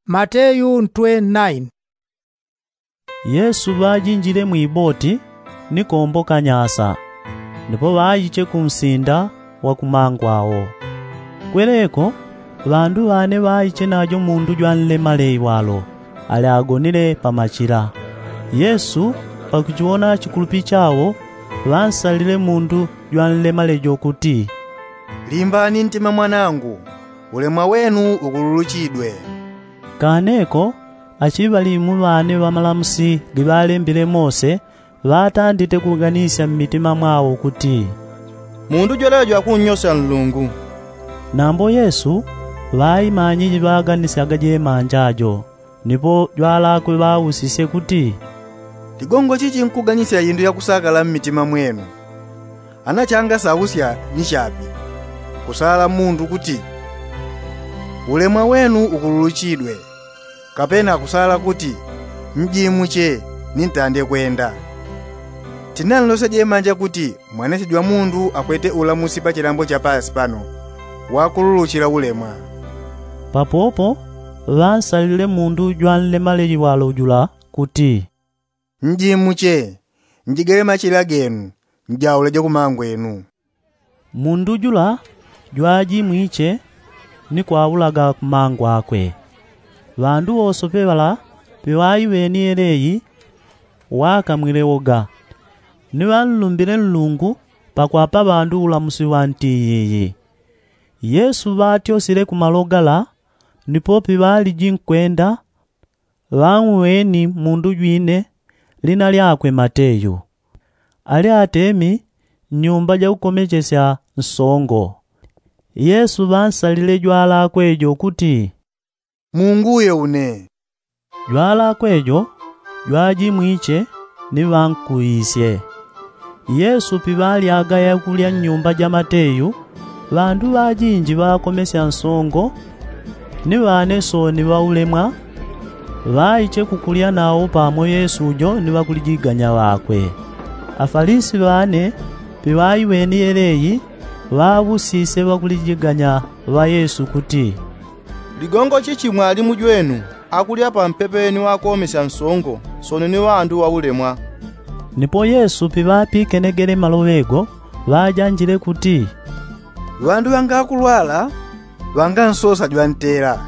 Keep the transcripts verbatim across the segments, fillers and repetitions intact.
Mateyu ntwe naini. Yesu ŵajinjile mwiboti ni komboka nyasa, ndipo ŵaiche kunsinda wa kumangwawo. Kweleko ŵandu ŵane ŵaiche najo mundu jwanlemale iwalo, ali agonile pa machila. Yesu pakuchiwona chikulupi chawo, ŵansalile mundu jwanlemale jo kuti, limbani ntima mwanangu, ulemwa wenu ukululuchidwe. Kaneko achiŵalimu ŵane ŵa malamusi giŵalembile mose ŵatandite kuganisya mmitima mwawo kuti, mundu jwelejo akunnyosya nlungu. Nambo yesu ŵaimanyiji ŵaganisyaga jemanja jo. Nipo jwalakwe ŵausisye kuti, ligongo chichi nkuganisya indu yakusakala mmitima mwenu? Ana changasausya ni chapi, kusala mundu kuti, ulemwa wenu ukululuchidwe, kapena kusala kuti, mjimuche, nintande kwenda? Tinanlosya jemanja kuti mwanesi jwa mundu akwete ulamusi pa chilambo cha pasi pano, wakululuchila ulemwa. Papopo ŵansalile mundu jwanlemale iwalo jula kuti, njimuche, njigele machila genu, njauleje kumangwenu. Mundu jula jwajimwiche ni kwaulaga kumangwakwe. Ŵandu wosope ŵala piŵaiweni yeleyi, wakamwile woga, ni ŵanlumbile nlungu pakwapa ŵandu ulamusi wa nti yiyi. Yesu ŵatyosile kumalo gala, nipo piŵaliji nkwenda ŵauweni mundu jwine lina lyakwe mateyu, ali atemi nnyumba jakukomechesya nsongo. Yesu ŵansalile jwalakwe jo kuti, munguye une. Jwalakwe jo jwajimwiche ni ŵankuisye. Yesu piŵalyaga yakulya nnyumba ja mateyu, ŵandu ŵajinji ŵakomesya nsongo ni ŵane sooni ŵaulemwa ŵaiche kukulya nawo pamo yesu jo ni ŵakulijiganya ŵakwe. Afalisi ŵane piŵaiweni yeleyi ŵaŵusisye ŵakulijiganya ŵa yesu kuti, ligongo chichi mwalimu jwenu akulya pampepe ni ŵakomesya nsongo sooni ni ŵandu ŵaulemwa? Nipo yesu piŵapikenegele maloŵe go ŵajanjile kuti, ŵandu ŵangakulwala ŵangansosa jwantela,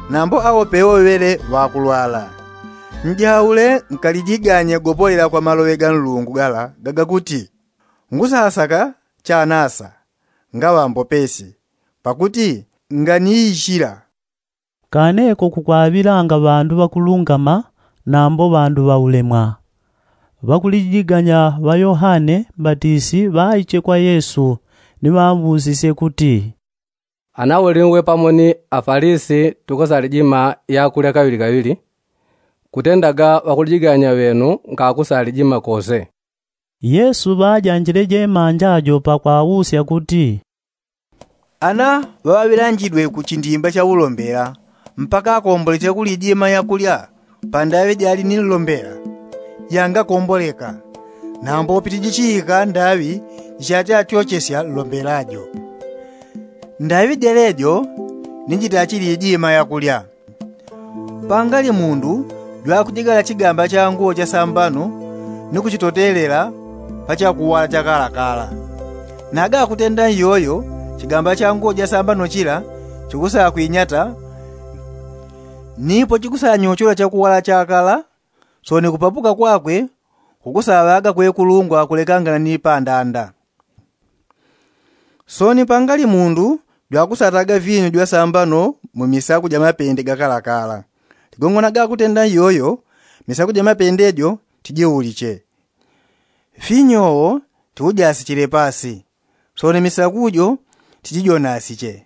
nambo awo pewoŵele ŵakulwala. Njaule nkalijiganye gopolela kwa maloŵe ga nlungu gala gagakuti, ngusasaka chanasa ngaŵambopesi, pakuti nganiichila. Kaneko kukwaŵilanga ŵandu ŵakulungama nambo ŵandu ŵaulemwa. Ŵakulijiganya ŵa yohane mbatisi ŵaiche kwa yesu ni ŵamwusisye kuti, ana uli uwe pamo ni afalisi tukusalijima yakulya kaŵilikaŵili, kutendaga ŵakulijiganya ŵenu nkakusalijima kose? Yesu ŵajanjile jemanja jo pakwawusya kuti, ana ŵaŵaŵilanjidwe ku chindimba cha ulombela mpaka akombolesye kulijima yakulya. Pandaŵi jali ni nlombela yangakomboleka, nambo pitijichiika ndaŵi jichachachochesya nlombela jo. Ndaŵi jelejo ni jitachilijima yakulya. Pangali mundu jwakujigala chigamba cha nguwo ja sambano ni kuchitotelela pa chakuwala chakalakala. Naga akutenda nyoyo chigamba cha nguwo ja sambano chila chikusakwinyata, nipo chikusanyochola chakuwala chakala. Sooni kupapuka kwakwe kukusaŵaga kwekulungwa kulekangana ni pandanda. Sooni pangali mundu jwakusataga vinyu jwa sambano mu misaku ja mapende gakalakala. Ligongo naga akutenda nyoyo misaku ja mapende jo tijiuliche, vinyu wo tiujasichile pasi, sooni misaku jo tijijonasiche.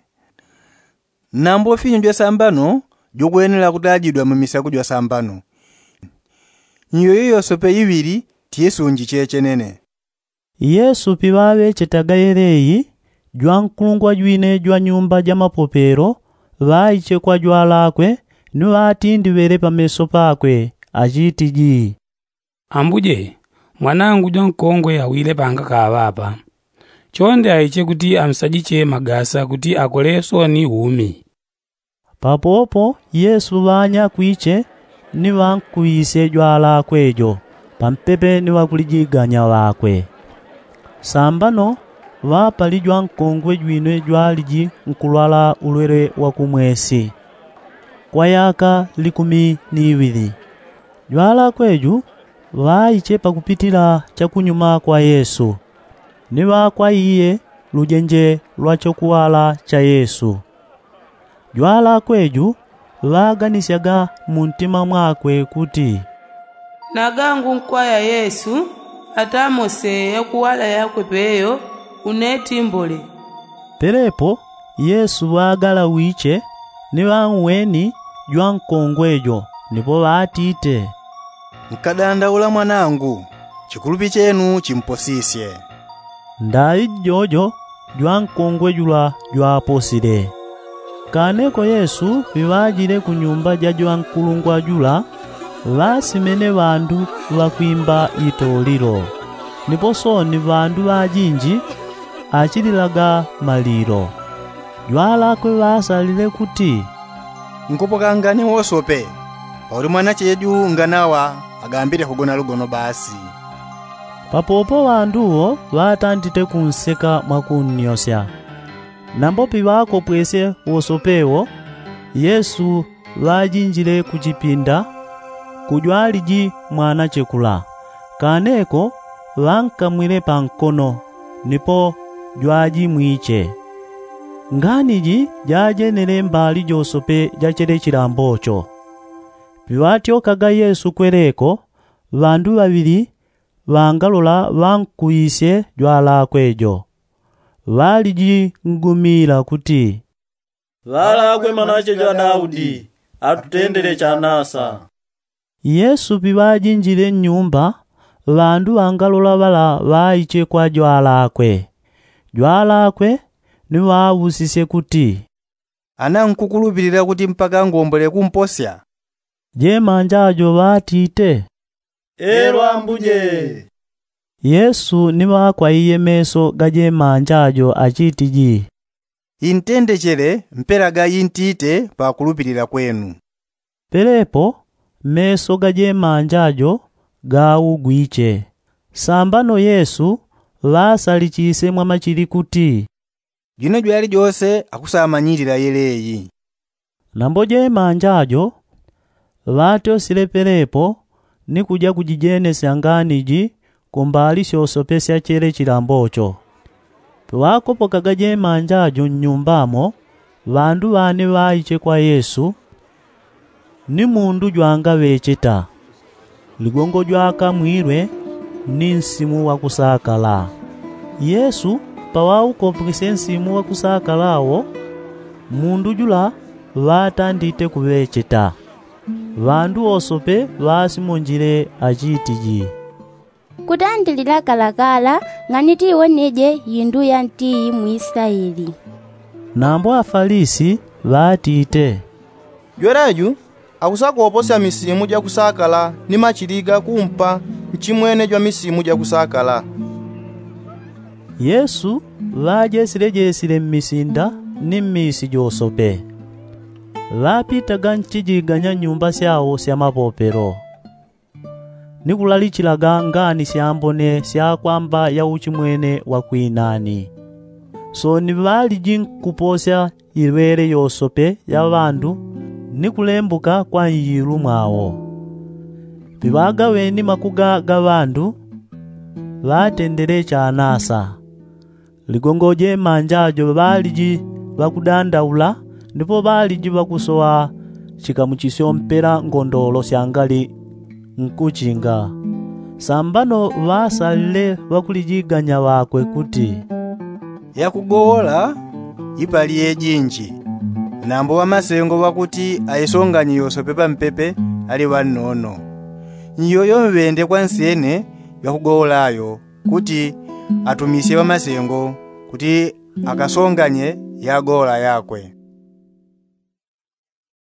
Nambo finyu jwa sambano jukwenela kutajidwa mu misaku jwa sambano. Nyoyo yosope iŵili tiisunjiche chenene. Yesu piŵaŵechetaga yeleyi jwankulungwa jwine jwa nyumba ja mapopelo ŵaiche kwa jwalakwe ni ŵatindiŵele pameso pakwe achitiji, ambuje, mwanangu jwankongwe awile pangakaŵa apa. Chonde aiche kuti amsajiche magasa kuti akole sooni umi. Papopo yesu ŵanyakwiche ni ŵankuŵisye jwalakwe jo pampepe ni ŵakulijiganya ŵakwe. Sambano ŵapali jwankongwe jwine jwaliji nkulwala ulwele wa kumwesi kwa yaka likumi ni iŵili. Jwalakwe ju ŵaiche pakupitila chakunyuma kwa yesu ni ŵakwaiye lujenje lwa chokuŵala cha yesu. Jwalakwe ju ŵaganisyaga muntima mwakwe kuti, nagangu nkwaya yesu atamose yakuŵala yakwe peyo unetimbole. Pelepo yesu ŵagalawiche ni ŵanweni jwankongwe jo nipo ŵatite, nkadandaula mwanangu, chikulupi chenu chimposisye. Ndaŵi jijojo jwankongwe jula jwaposile. Kaneko yesu piŵajile ku nyumba ja jwankulungwa jula ŵasimene ŵandu ŵakwimba itolilo. Nipo sooni ŵandu ŵajinji achililaga malilo. Jwalakwe ŵasalile kuti, nkupokangane wosope pauli mwanache ju nganawa agambile kugona lugono basi. Papopo ŵandu wo ŵatandite kunseka mwakunnyosya. Nambo piŵakopwesye wosope wo yesu ŵajinjile ku chipinda kujwaliji mwanache kula. Kaneko ŵankamwile pa nkono nipo jwajimwiche. Ngani ji jajenele mbali josope ja chele chilambo cho. Piŵatyokaga yesu kweleko ŵandu ŵaŵili ŵangalola ŵankuŵisye jwalakwe jo. Ŵaliji ngumila kuti, ŵalakwe mwanache jwa daudi atutendele chanasa. Yesu piŵajinjile nnyumba ŵandu ŵangalola ŵala ŵaiche kwa jwalakwe. Jwalakwe ni ŵaŵusisye kuti, ana nkukulupilila kuti mpaka ngombole kumposya? Jemanja jo ŵatite, elo ambuje. Yesu ni ŵakwaiye meso ga jemanja jo achitiji, intendechele mpela ga intite pakulupilila kwenu. Pelepo meso ga jemanja jo gaugwiche. Sambano yesu ŵasalichisye mwamachili kuti, jwine jwalijose akusamanyilila yeleyi. Nambo jemanja jo ŵatyosile pelepo ni kuja kujijenesya ngani ji kumbali syosope sya chele chilambo cho. Piŵakopokaga jemanja jo nnyumba mo ŵandu ŵane ŵaiche kwa yesu ni mundu jwangaŵecheta. Ligongo jwakamwilwe ni nsimu wakusakala. Yesu paŵaukopwesye nsimu wakusakala wo mundu jula ŵatandite kuŵecheta. Ŵandu wosope ŵasimonjile achitiji, kutandilila kalakala ng'ani tiwoneje yindu ya ntiyi mu isilaeli. Nambo afalisi ŵatite, jwelaju akusakoposya misimu jakusakala ni machili ga kumpa nchimwene jwa misimu jakusakala. Yesu ŵajesilejesile mmisinda ni mmiisi josope. Ŵapitaga nchijiganya nyumba syao sya mapopelo ni kulalichilaga ngani syambone sya kwamba ya uchimwene wa kwinani. Sooni ŵaliji nkuposya iŵele yosope ya ŵandu ni kulembuka kwa nyilu mwao. Piŵagaŵeni makuga ga ŵandu ŵatendele chanasa. Ligongo jemanja jo ŵaliji ŵakudandaula ndipo ŵaliji ŵakusoŵa chikamuchisyo mpela ngondolo syangali nkuchinga. Sambano ŵasalile ŵakulijiganya ŵakwe kuti, yakugowola ipali yejinji. Nambo ŵamasengo ŵakuti aisonganye yosope pampepe ali ŵannono. Nyoyo mŵende kwa nsyene jwakugowola yo kuti atumisye ŵamasengo kuti akasonganye yagowola yakwe.